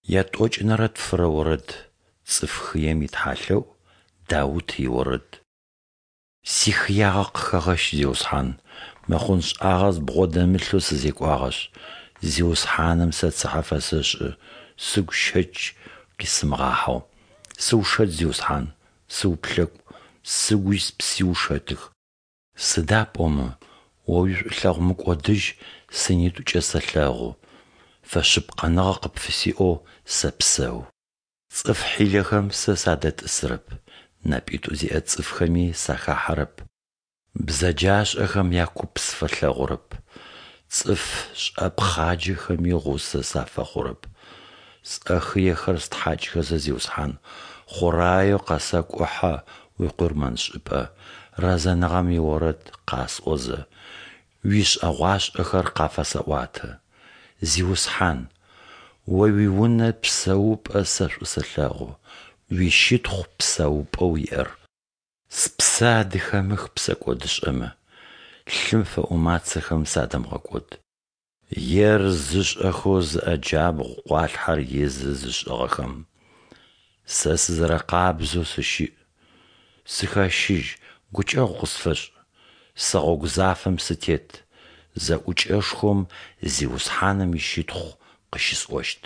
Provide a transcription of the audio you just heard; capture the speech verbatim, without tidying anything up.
Ятӏокӏынэрэ тфырэ орэд. Цӏыф хыем итхьалъэӏу. Даут иорэд. Сихыягъэ къыхэгъэщ, Зиусхьан, мыхъун-шӏагъэ збгъодэмылъэу сызекӏуагъэшъ. Зиусхьаным сэ цыхьэ фэсэшӏы, сыгу щэч къисымыгъахьэу. Сыушэт, Зиусхьан, сыуплъэкӏу, сыгуи спси ушэтых. Сыда пӏомэ О уишӏулъэгъу мыкӏодыжь сынитӏукӏэ сэлъэгъу, фэшъыпкъэныгъэ къыпфысиӏэу сэпсэу. Цӏыф хьилэхэм сэ садэтӏысырэп, нэпитӏу зиӏэ цӏыфхэми сахахьэрэп. Бзэджашӏэхэм якуп сфэлъэгъурэп, цӏыф шӏэпхъаджэхэми гъусэ сафэхъурэп. Сӏэ хыехэр стхьакӏхэзэ, Зиусхьан, хъураеу къэсэкӏухьэ уикъурмэншӏыпӏэ, рэзэныгъэм иорэд къасӏозэ, уишӏэгъуашӏэхэр къафэсэӏуатэ. Зиусхьан, О уиунэ псэупӏэ сэ шӏу сэлъэгъу, Уищытхъу псэупӏэу иӏэр. Спсэ адыхэмых псэкӏодышӏэмэ, лъым фэӏумацэхэм садэмыгъэкӏод. Ер зышӏэхэу зыӏэ джабгъу къуалъхьэр изы зышӏыгъэхэм. Сэ сызэрэкъабзэу сыщыӏ, сыхэщыжь, гукӏэгъу къысфэшӏ. Сэ гъогу зафэм сытет, зэӏукӏэшхом Зиусхьаным ищытхъу къыщысӏощт.